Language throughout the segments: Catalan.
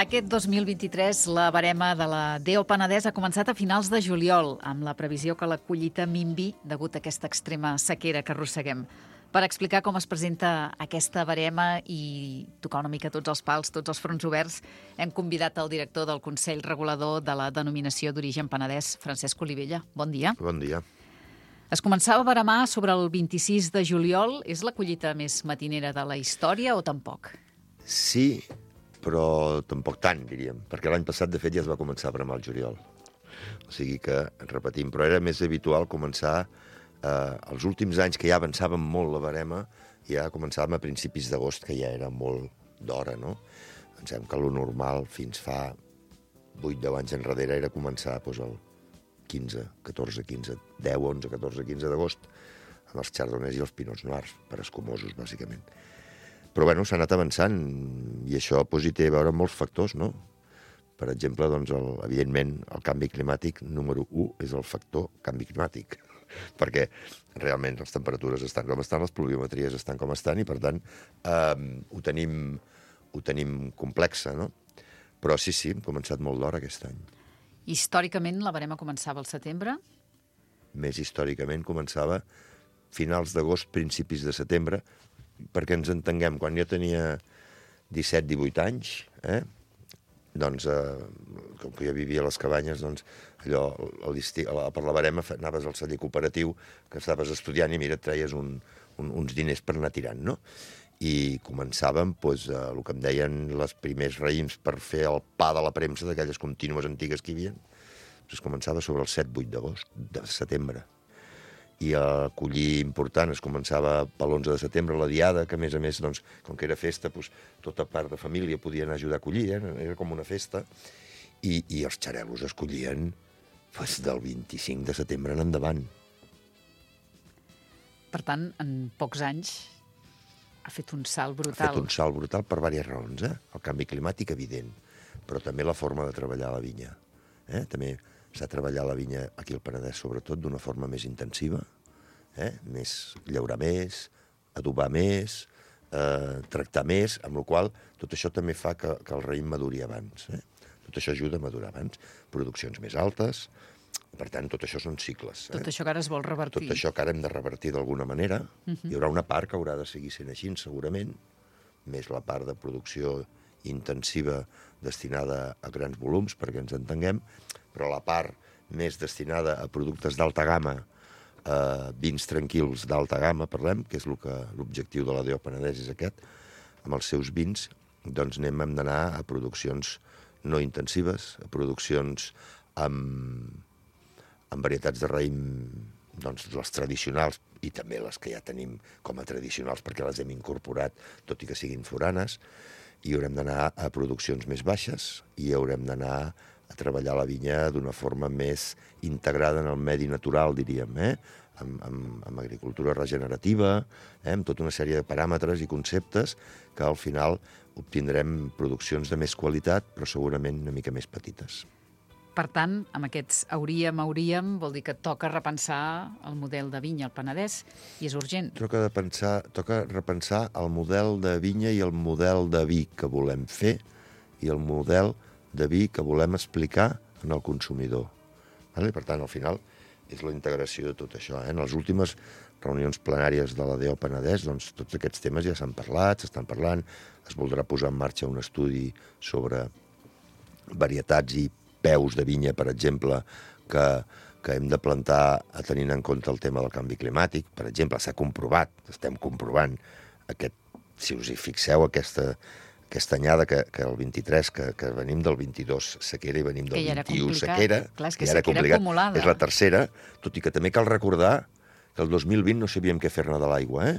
Aquest 2023, la barema de la DO Penedès ha començat a finals de juliol, amb la previsió que la collita minvi degut a aquesta extrema sequera que arrosseguem. Per explicar com es presenta aquesta barema i tocar una mica tots els pals, tots els fronts oberts, hem convidat el director del Consell Regulador de la Denominació d'Origen Penedès, Francesc Olivella. Bon dia. Bon dia. Es començava a baremar sobre el 26 de juliol. És la collita més matinera de la història o tampoc? Sí, però tampoc tant, diríem, perquè l'any passat, de fet, ja es va començar a baremar al juliol. O sigui que, repetim, però era més habitual començar els últims anys, que ja avançàvem molt la barema, ja començàvem a principis d'agost, que ja era molt d'hora, no? Pensem que lo normal fins fa 8-10 anys enrere era començar doncs, el 15, 14, 15, 10, 11, 14, 15 d'agost, amb els chardonnays i els pinots noirs, per escumosos, bàsicament. Però, bueno, s'ha anat avançant, i això hi té a veure amb molts factors, no? Per exemple, doncs, evidentment, el canvi climàtic número 1 és el factor canvi climàtic, perquè realment les temperatures estan com estan, les pluviometries estan com estan, i, per tant, ho tenim complexa, no? Però sí, hem començat molt d'hora aquest any. Històricament, la barema començava al setembre? Més històricament començava finals d'agost, principis de setembre, perquè ens entenguem, quan jo tenia 17-18 anys, doncs, com que jo vivia a les cabanyes, doncs, allò, per la barema anaves al celler cooperatiu, que estaves estudiant, i mira, et treies uns diners per anar tirant, no? I començàvem, doncs, el que em deien els primers raïms per fer el pa de la premsa, d'aquelles contínues antigues que hi havia, doncs començava sobre el 7-8 d'agost, de setembre. I a collir important es començava per l'11 de setembre, la diada, que a més, doncs, com que era festa, doncs, tota part de família podia anar a ajudar a collir, era com una festa, i els xarelos es collien doncs, del 25 de setembre en endavant. Per tant, en pocs anys ha fet un salt brutal. Ha fet un salt brutal per diverses raons, El canvi climàtic, evident, però també la forma de treballar la vinya. També s'ha treballat la vinya aquí al Penedès, sobretot, d'una forma més intensiva, més llaurar més, adobar més, tractar més, amb la qual tot això també fa que el raïm maduri abans. Tot això ajuda a madurar abans. Produccions més altes, per tant, tot això són cicles. Tot això que ara es vol revertir. Tot això que ara hem de revertir d'alguna manera. Hi haurà una part que haurà de seguir sent així, segurament, més la part de producció intensiva destinada a grans volums, perquè ens entenguem, però la part més destinada a productes d'alta gamma, vins tranquils d'alta gamma, parlem, que és l'objectiu de la DO Penedès és aquest, amb els seus vins, doncs hem d'anar a produccions no intensives, a produccions amb varietats de raïm, doncs les tradicionals, i també les que ja tenim com a tradicionals perquè les hem incorporat, tot i que siguin foranes, i haurem d'anar a produccions més baixes i haurem d'anar a treballar la vinya d'una forma més integrada en el medi natural, diríem, amb agricultura regenerativa, amb tota una sèrie de paràmetres i conceptes que al final obtindrem produccions de més qualitat, però segurament una mica més petites. Per tant, amb aquests hauríem, vol dir que toca repensar el model de vinya al Penedès, i és urgent. Toca repensar el model de vinya i el model de vi que volem fer i el model de vi que volem explicar en el consumidor. Per tant, al final, és la integració de tot això. En les últimes reunions plenàries de la DO Penedès, doncs, tots aquests temes ja s'han parlat, s'estan parlant, es voldrà posar en marxa un estudi sobre varietats i peus de vinya, per exemple, que hem de plantar tenint en compte el tema del canvi climàtic. Per exemple, s'ha comprovat, estem comprovant, si us hi fixeu, aquesta anyada que el 23, que venim del 22 sequera i venim del 21 sequera, clar, és que sequera acumulada. És la tercera, tot i que també cal recordar que el 2020 no sabíem què fer-ne de l'aigua,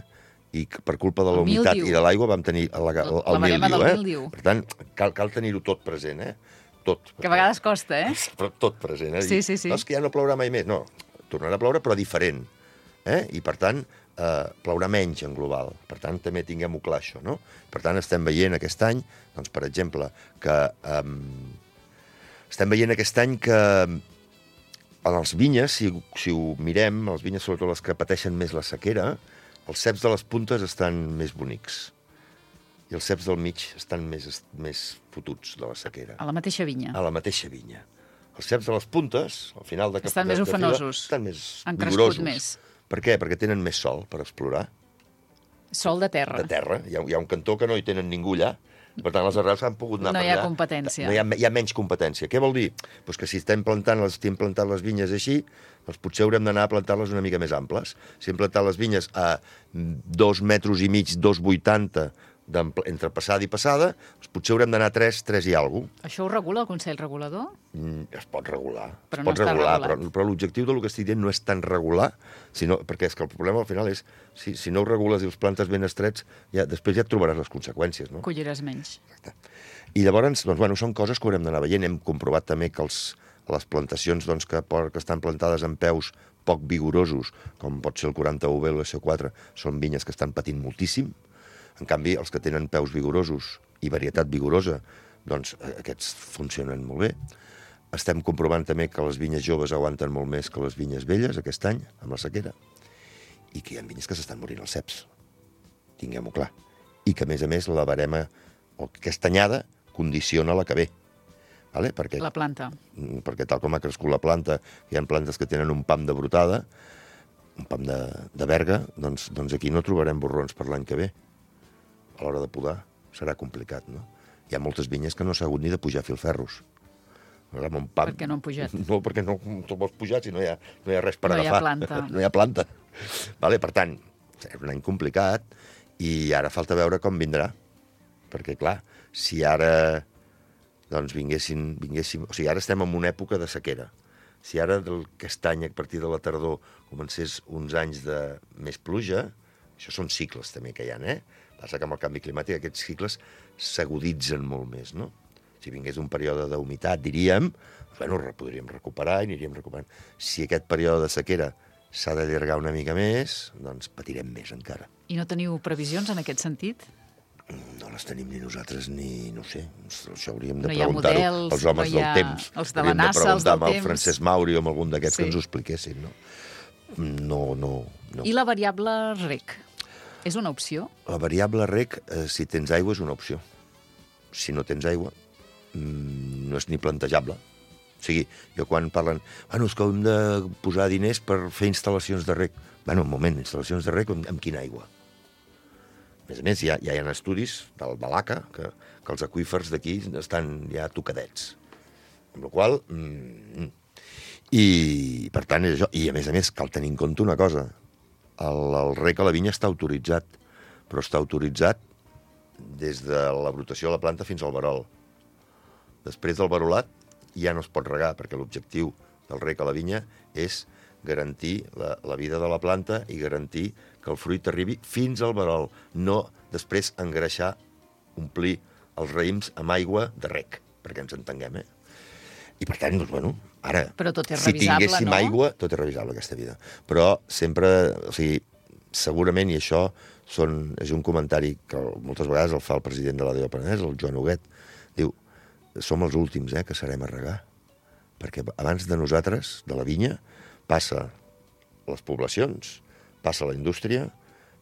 i per culpa de la humitat i de l'aigua vam tenir el mildiu. Per tant, cal tenir-ho tot present, tot. Que a vegades costa, Però tot present, Sí. No, és que ja no plourà mai més. No, tornarà a ploure, però diferent. I, per tant, plourà menys en global. Per tant, també tinguem-ho clar, això, no? Per tant, estem veient aquest any, doncs, per exemple, que en els vinyes, si ho mirem, els vinyes, sobretot les que pateixen més la sequera, els ceps de les puntes estan més bonics. i els ceps del mig estan més fotuts de la sequera. A la mateixa vinya. A la mateixa vinya. Els ceps de les puntes, al final de estan més ofenosos. Estan més han vigorosos. Crescut més. Per què? Perquè tenen més sol per explorar. Sol de terra. De terra. Hi ha un cantó que no hi tenen ningú allà. Per tant, les arrels han pogut anar per allà. No hi ha competència. Hi ha menys competència. Què vol dir? Pues que si estem plantant les vinyes així, doncs potser haurem d'anar a plantar-les una mica més amples. Si hem plantat les vinyes a 2,5 metres, 2,80 entre passada i passada, doncs potser haurem d'anar a 3 i alguna cosa. Això ho regula el Consell Regulador? Es pot regular. Però es no pot està regular, regulat. però l'objectiu del que estic dient no és tan regular, perquè és que el problema al final és, si no ho regules i els plantes ben estrets, després ja et trobaràs les conseqüències, no? Colliràs menys. Exacte. I llavors, doncs, bueno, són coses que haurem d'anar veient. Hem comprovat també que les plantacions doncs, que estan plantades en peus poc vigorosos, com pot ser el 40 UV o l'SO4, són vinyes que estan patint moltíssim. En canvi, els que tenen peus vigorosos i varietat vigorosa, doncs aquests funcionen molt bé. Estem comprovant també que les vinyes joves aguanten molt més que les vinyes velles aquest any, amb la sequera, i que hi ha vinyes que s'estan morint els ceps. Tinguem-ho clar. I que, a més, la barema, o aquesta anyada, condiciona la que ve. Vale? La planta. Perquè tal com ha crescut la planta, hi ha plantes que tenen un pam de brotada, un pam de verga, doncs aquí no trobarem borrons per l'any que ve. A l'hora de podar serà complicat, no? Hi ha moltes vinyes que no s'ha hagut ni de pujar filferros. Per què no han pujat? No, perquè no te'l vols pujar si no hi ha res per agafar. No hi ha planta. No hi ha planta. Vale, per tant, és un any complicat i ara falta veure com vindrà. Perquè, clar, si ara doncs vinguéssim... O sigui, ara estem en una època de sequera. Si ara aquest any, a partir de la tardor, comencés uns anys de més pluja, això són cicles també que hi ha, Passa que amb el canvi climàtic aquests cicles s'aguditzen molt més, no? Si vingués un període d'humitat, diríem, bueno, podríem recuperar i aniríem recuperant. Si aquest període de sequera s'ha d'allargar una mica més, doncs patirem més encara. I no teniu previsions en aquest sentit? No les tenim ni nosaltres ni, no sé, això hauríem de No hi ha preguntar-ho models, als homes del temps. Els de la NASA, els del temps. Hauríem de preguntar amb el Francesc Mauri o amb algun d'aquests que ens ho expliquessin, no? No. I la variable REC? És una opció? La variable REC, si tens aigua, és una opció. Si no tens aigua, no és ni plantejable. O sigui, jo quan parlen, bueno, és que hem de posar diners per fer instal·lacions de REC. Bueno, un moment, instal·lacions de REC amb quina aigua? A més, ja hi ha estudis del Balaca que els aqüífers d'aquí estan ja tocadets. Amb la qual cosa... I, per tant, és això. I, a més, cal tenir en compte una cosa. El rec a la vinya està autoritzat, però està autoritzat des de la brotació de la planta fins al verol. Després del verolat ja no es pot regar, perquè l'objectiu del rec a la vinya és garantir la vida de la planta i garantir que el fruit arribi fins al verol, no després engreixar, omplir els raïms amb aigua de rec, perquè ens entenguem, I per tant, doncs, bueno, ara, però tot és si revisable, tinguéssim aigua, tot és revisable aquesta vida. Però sempre, o sigui, segurament, i això és un comentari que moltes vegades el fa el president de la DO Penedès, el Joan Huguet, diu, som els últims que serem a regar, perquè abans de nosaltres, de la vinya, passa les poblacions, passa la indústria,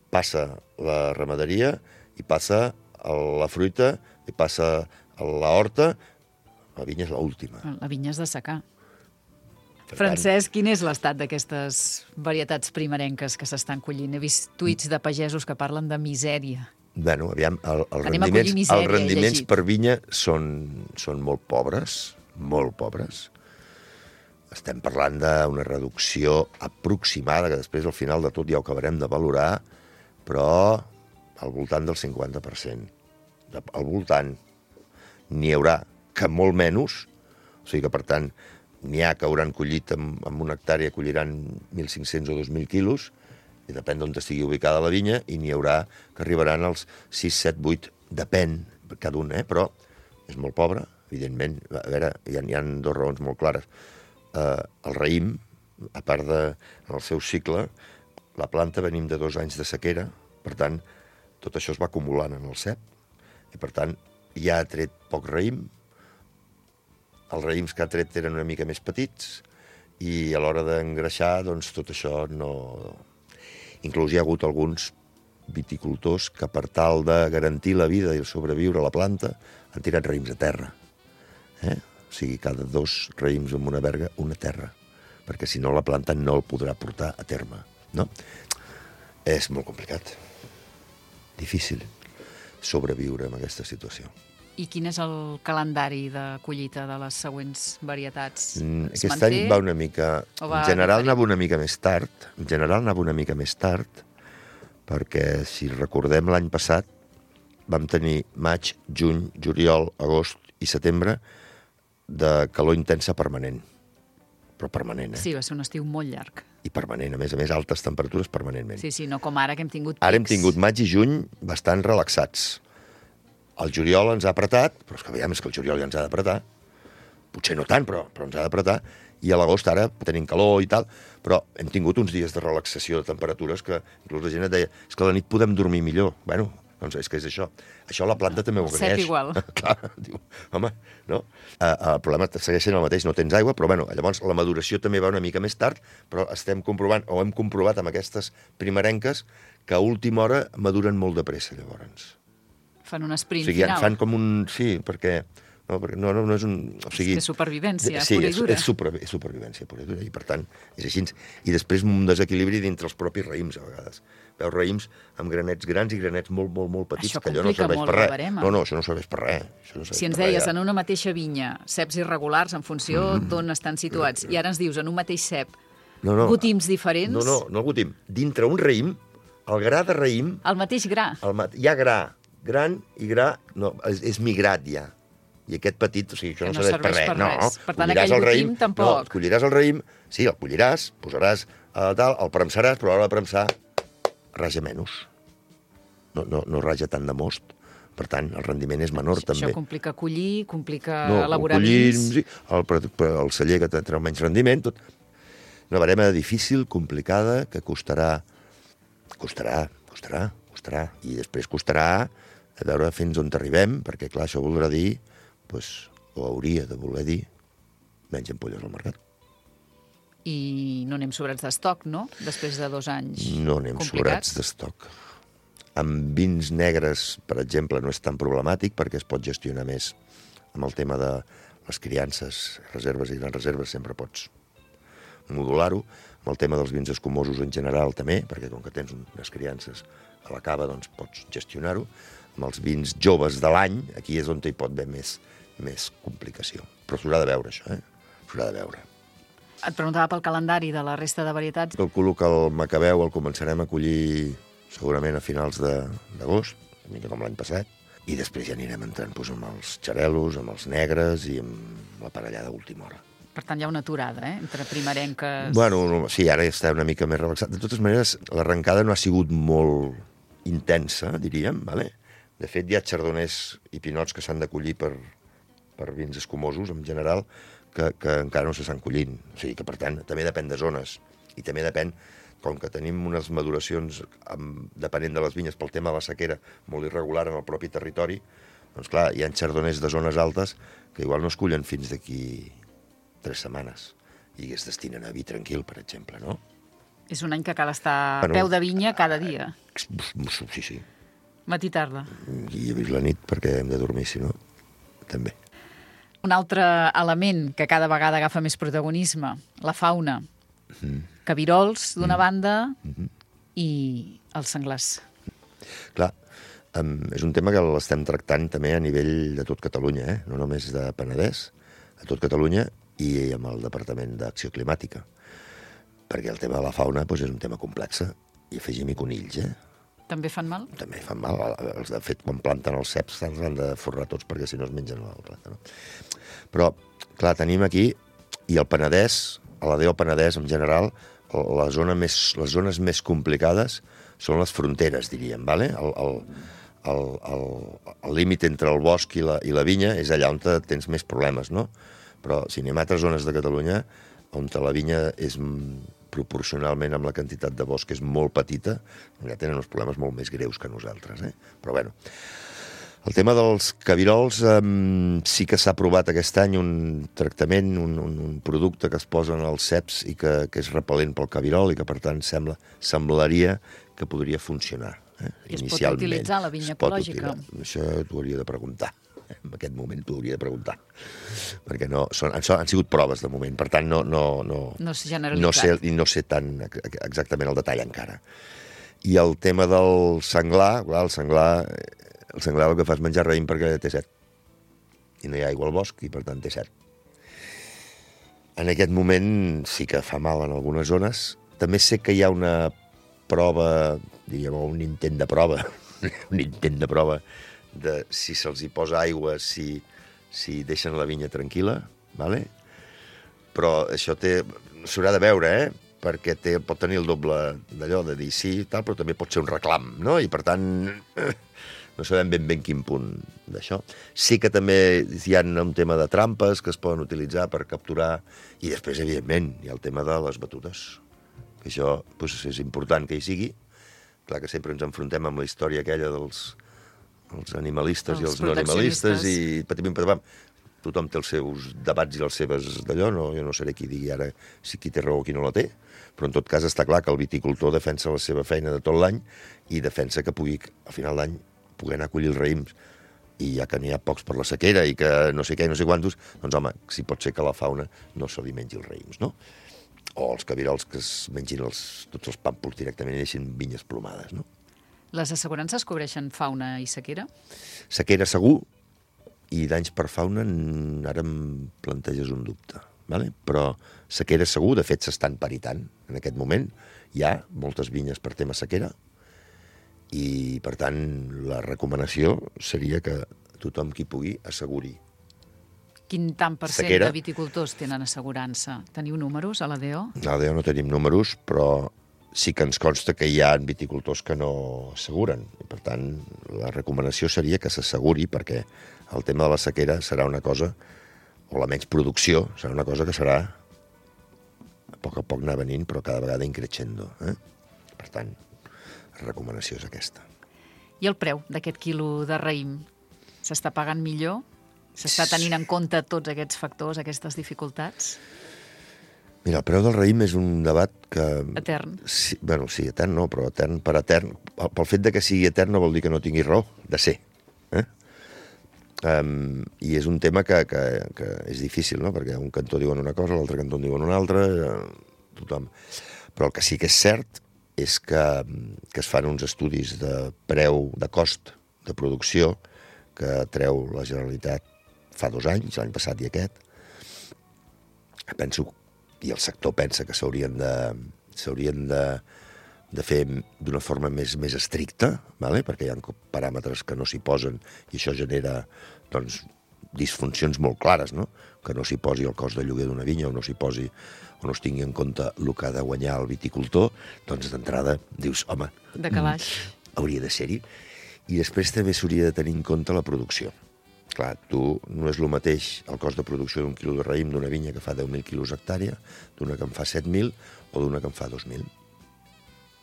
passa la ramaderia, i passa la fruita, i passa la horta. La vinya és l'última. La vinya és de secà. Francesc, quin és l'estat d'aquestes varietats primerenques que s'estan collint? He vist tuits de pagesos que parlen de misèria. Bueno, aviam, els rendiments per vinya són molt pobres, molt pobres. Estem parlant d'una reducció aproximada, que després, al final de tot, ja ho acabarem de valorar, però al voltant del 50%. Al voltant. N'hi haurà que molt menys, o sigui que, per tant, n'hi ha que hauran collit amb una hectàrea, colliran 1.500 o 2.000 quilos, i depèn d'on estigui ubicada la vinya, i n'hi haurà que arribaran als 6, 7, 8, depèn cada un, però és molt pobre, evidentment. A veure, hi ha dues raons molt clares. El raïm, a part en el seu cicle, la planta venim de 2 anys de sequera, per tant, tot això es va acumulant en el cep, i per tant, ja ha tret poc raïm, els raïms que ha tret eren una mica més petits, i a l'hora d'engreixar, doncs, tot això no... Inclús hi ha hagut alguns viticultors que per tal de garantir la vida i sobreviure a la planta han tirat raïms a terra. O sigui, cada 2 raïms amb una verga, una terra, perquè si no la planta no el podrà portar a terme, no? És molt complicat, difícil sobreviure en aquesta situació. I quin és el calendari de collita de les següents varietats? Aquest any va una mica... En general anava una mica més tard, perquè si recordem l'any passat vam tenir maig, juny, juliol, agost i setembre de calor intensa permanent. Però permanent, Sí, va ser un estiu molt llarg. I permanent, a més, altes temperatures permanentment. Sí, no com ara, que hem tingut pics. Ara hem tingut maig i juny bastant relaxats. El juliol ens ha apretat, però és que veiem que el juliol ja ens ha d'apretar. Potser no tant, però ens ha d'apretar. I a l'agost ara tenim calor i tal, però hem tingut uns dies de relaxació de temperatures que inclús la gent et deia és que a la nit podem dormir millor. Bueno, doncs és que és això. Això la planta també ho agraeix. Set igual. Clar, diu, home, no? El problema segueix sent el mateix, no tens aigua, però bueno, llavors la maduració també va una mica més tard, però estem comprovant, o hem comprovat amb aquestes primerenques, que a última hora maduren molt de pressa, llavors. Fan un sprint final. final. Fan com un... Sí, perquè... No és un... O sigui, és supervivència sí, pura i dura. És supervivència pura i dura, i per tant és així. I després un desequilibri dintre els propis raïms, a vegades. Veus raïms amb granets grans i granets molt, molt, molt petits, això que allò no serveix per res. No, això no serveix per res. Si ens deies, en una mateixa vinya, ceps irregulars en funció d'on estan situats, i ara ens dius, en un mateix cep, gotims diferents... No gotim. Dintre un raïm, el gra de raïm... El mateix gra. Hi ha gra. Gran i gra... No, és migrat ja. I aquest petit, o sigui, això no serveix per res. No, per tant, aquell gotim tampoc. No, colliràs el raïm, sí, el colliràs, posaràs tal, el premsaràs, però a l'hora de premsar raja menys. No raja tant de most. Per tant, el rendiment és menor, també. Això complica collir, complica elaborar vins... Sí, el celler que treu menys rendiment, tot. Una barema difícil, complicada, que costarà. I després costarà a veure fins on arribem, perquè, clar, això voldrà dir, o hauria de voler dir, menys ampolles al mercat. I no anem sobrats d'estoc, no? Després de 2 anys complicats. No anem sobrats d'estoc. Amb vins negres, per exemple, no és tan problemàtic perquè es pot gestionar més amb el tema de les criances, reserves i grans reserves, sempre pots modular-ho. Amb el tema dels vins escumosos en general també, perquè com que tens unes criances a la cava, doncs pots gestionar-ho. Amb els vins joves de l'any, aquí és on hi pot haver més complicació. Però s'haurà de veure, això, S'haurà de veure. Et preguntava pel calendari de la resta de varietats. Calculo que el macabeu el començarem a collir segurament a finals d'agost, una mica com l'any passat, i després ja anirem entrant amb els xarelos, amb els negres i amb la parellada d'última hora. Per tant, hi ha una aturada, entre primerenques... Bueno, sí, ara ja està una mica més relaxat. De totes maneres, l'arrencada no ha sigut molt intensa, diríem, ¿vale? De fet, hi ha chardonnays i pinots que s'han de collir per vins escumosos, en general, que encara no s'estan collint. O sigui que, per tant, també depèn de zones. I també depèn, com que tenim unes maduracions, depenent de les vinyes, pel tema de la sequera, molt irregular en el propi territori, doncs clar, hi ha chardonnays de zones altes que igual no es collen fins d'aquí 3 setmanes i es destinen a vi tranquil, per exemple, no? És un any que cal estar a peu de vinya cada dia. Sí. Matí i tarda. I la nit, perquè hem de dormir, si no, també. Un altre element que cada vegada agafa més protagonisme, la fauna. Cabirols, d'una banda, i els senglars. Clar, és un tema que l'estem tractant també a nivell de tot Catalunya, no només de Penedès, a tot Catalunya i amb el Departament d'Acció Climàtica. Perquè el tema de la fauna és un tema complex. I afegim-hi conills, També fan mal? També fan mal. De fet, quan planten els ceps se'ls han de forrar tots perquè si no es mengen la planta. No? Però, clar, tenim aquí, i el Penedès, a la DO Penedès en general, les zones més complicades són les fronteres, diríem, ¿vale? El límit entre el bosc i la vinya és allà on tens més problemes, no? Però si anem a altres zones de Catalunya, on la vinya és proporcionalment amb la quantitat de bosc és molt petita, ja tenen uns problemes molt més greus que nosaltres, Però bueno, el tema dels cabirols sí que s'ha aprovat aquest any un tractament, un producte que es posa en els ceps i que és repel·lent pel cabirol i que per tant semblaria que podria funcionar. I es pot utilitzar la vinya ecològica? Això t'ho hauria de preguntar. En aquest moment t'ho hauria de preguntar. Perquè han sigut proves de moment, per tant no s'ha generalitzat. No sé tan exactament el detall encara. I el tema del senglar, clar, el senglar el que fa és menjar raïm perquè té set. I no hi ha aigua al bosc i per tant té set. En aquest moment sí que fa mal en algunes zones. També sé que hi ha una prova, diríem, un intent de prova, de si se'ls hi posa aigua, si deixen la vinya tranquil·la, ¿vale? Però això s'haurà de veure, perquè pot tenir el doble d'allò, de dir sí, tal, però també pot ser un reclam, no? I per tant, no sabem ben quin punt d'això. Sí que també hi ha un tema de trampes que es poden utilitzar per capturar, i després, evidentment, hi ha el tema de les batudes, que això és important que hi sigui. Clar que sempre ens enfrontem amb la història aquella dels animalistes i els no animalistes i patapim. Tothom té els seus debats i les seves d'allò, jo no seré qui digui ara si qui té raó o qui no la té, però en tot cas està clar que el viticultor defensa la seva feina de tot l'any i defensa que pugui, al final d'any, poder anar a collir els raïms, i ja que n'hi ha pocs per la sequera i que no sé què i no sé quantos, doncs home, si pot ser que la fauna no se li mengi els raïms, no? O els cabirols que es mengin tots els pàmpols directament i deixin vinyes plomades, no? Les assegurances cobreixen fauna i sequera? Sequera segur, i danys per fauna ara em planteges un dubte, ¿vale? Però sequera segur, de fet s'estan paritant en aquest moment. Hi ha moltes vinyes per tema sequera i, per tant, la recomanació seria que tothom qui pugui asseguri. Quin tant per cent de viticultors tenen assegurança? Teniu números a l'ADO? A l'ADO no tenim números, però sí que ens consta que hi ha viticultors que no asseguren. I, per tant, la recomanació seria que s'asseguri, perquè el tema de la sequera serà una cosa, o la menys producció, serà una cosa que serà a poc anar venint, però cada vegada increixendo. Per tant, la recomanació és aquesta. I el preu d'aquest quilo de raïm? S'està pagant millor? S'està tenint en compte tots aquests factors, aquestes dificultats? Mira, el preu del raïm és un debat que... Etern. Sí, etern no, però etern per etern. Pel fet de que sigui etern no vol dir que no tingui raó de ser. I és un tema que és difícil, no? Perquè a un cantó diuen una cosa, a l'altre cantó en diuen una altra, tothom. Però el que sí que és cert és que es fan uns estudis de preu, de cost de producció, que treu la Generalitat fa 2 anys, l'any passat i aquest. Penso, i el sector pensa que s'haurien de fer d'una forma més estricta, ¿vale? Perquè hi ha paràmetres que no s'hi posen i això genera disfuncions molt clares, no? Que no s'hi posi el cost de lloguer d'una vinya o no s'hi posi o no es tingui en compte el que ha de guanyar el viticultor, doncs d'entrada dius, home, de calaix. Hauria de ser-hi. I després també s'hauria de tenir en compte la producció. Clar, no és el mateix el cost de producció d'un quilo de raïm d'una vinya que fa 10.000 quilos hectàrea, d'una que en fa 7.000 o d'una que en fa 2.000.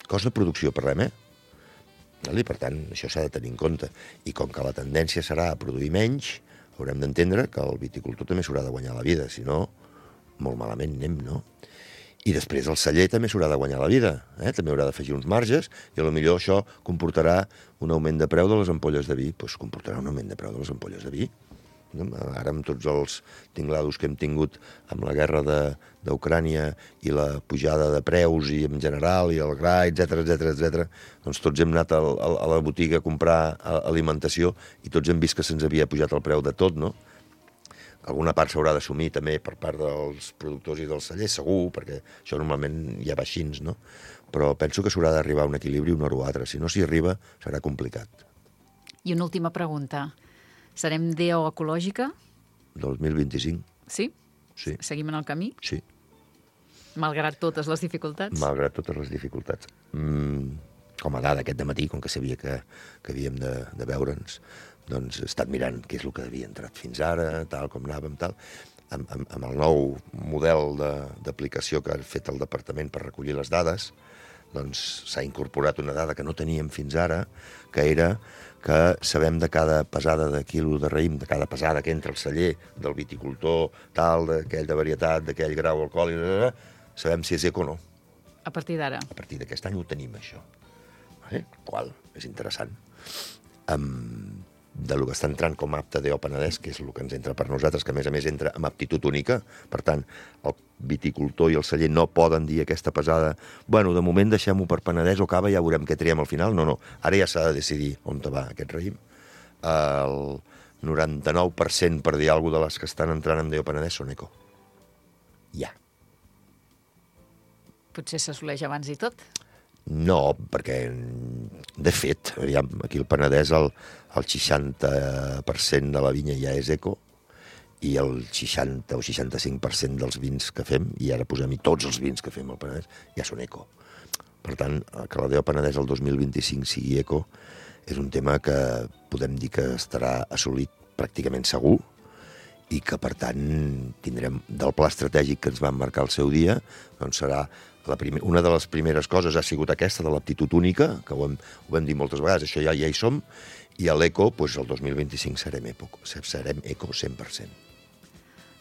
Cost de producció, parlem, I per tant, això s'ha de tenir en compte. I com que la tendència serà a produir menys, haurem d'entendre que el viticultor també s'haurà de guanyar la vida, si no, molt malament anem, no? I després el celler també s'haurà de guanyar la vida, també haurà d'afegir uns marges, i potser això comportarà un augment de preu de les ampolles de vi. Doncs comportarà un augment de preu de les ampolles de vi. Ara amb tots els tinglados que hem tingut amb la guerra d'Ucrània i la pujada de preus i en general, i el gra, etc, doncs tots hem anat a la botiga a comprar alimentació i tots hem vist que se'ns havia pujat el preu de tot, no? Alguna part s'haurà d'assumir també per part dels productors i dels cellers, segur, perquè això normalment ja va així, no? Però penso que s'haurà d'arribar a un equilibri un o altre. Si no s'hi arriba, serà complicat. I una última pregunta. Serem DO ecològica? 2025. Sí? Sí. Seguim en el camí? Sí. Malgrat totes les dificultats? Malgrat totes les dificultats. Com a dada aquest dematí, com que sabia que havíem de veure'ns, doncs he estat mirant què és el que havia entrat fins ara, tal com anàvem, tal. Amb el nou model d'aplicació que ha fet el departament per recollir les dades, doncs s'ha incorporat una dada que no teníem fins ara, que era que sabem de cada pesada de quilo de raïm, de cada pesada que entra al celler, del viticultor, tal, d'aquell de varietat, d'aquell grau alcohòlic, sabem si és eco o no. A partir d'ara? A partir d'aquest any ho tenim, això. Qual és interessant. De lo que està entrant com a apte DO Penedès, que és el que ens entra per nosaltres, que a més entra amb aptitud única, per tant, el viticultor i el celler no poden dir aquesta pesada, bueno, de moment deixem-ho per Penedès o Cava, ja veurem què triem al final. No, ara ja s'ha de decidir on va aquest raïm. El 99%, per dir alguna cosa, de les que estan entrant en DO Penedès són eco. Ja. Potser s'assoleix abans i tot? No, perquè, de fet, aquí al Penedès el 60% de la vinya ja és eco i el 60 o 65% dels vins que fem, i ara posem-hi tots els vins que fem al Penedès, ja són eco. Per tant, que la DO Penedès el 2025 sigui eco és un tema que podem dir que estarà assolit pràcticament segur i que, per tant, tindrem del pla estratègic que ens van marcar el seu dia, doncs serà una de les primeres coses ha sigut aquesta de l'aptitud única, que ho vam dir moltes vegades, això ja hi som, i a l'eco, doncs el 2025 serem eco 100%.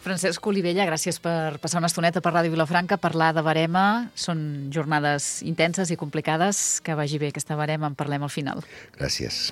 Francesc Olivella, gràcies per passar una estoneta per Ràdio Vilafranca, parlar de barema. Són jornades intenses i complicades. Que vagi bé aquesta barema, en parlem al final. Gràcies.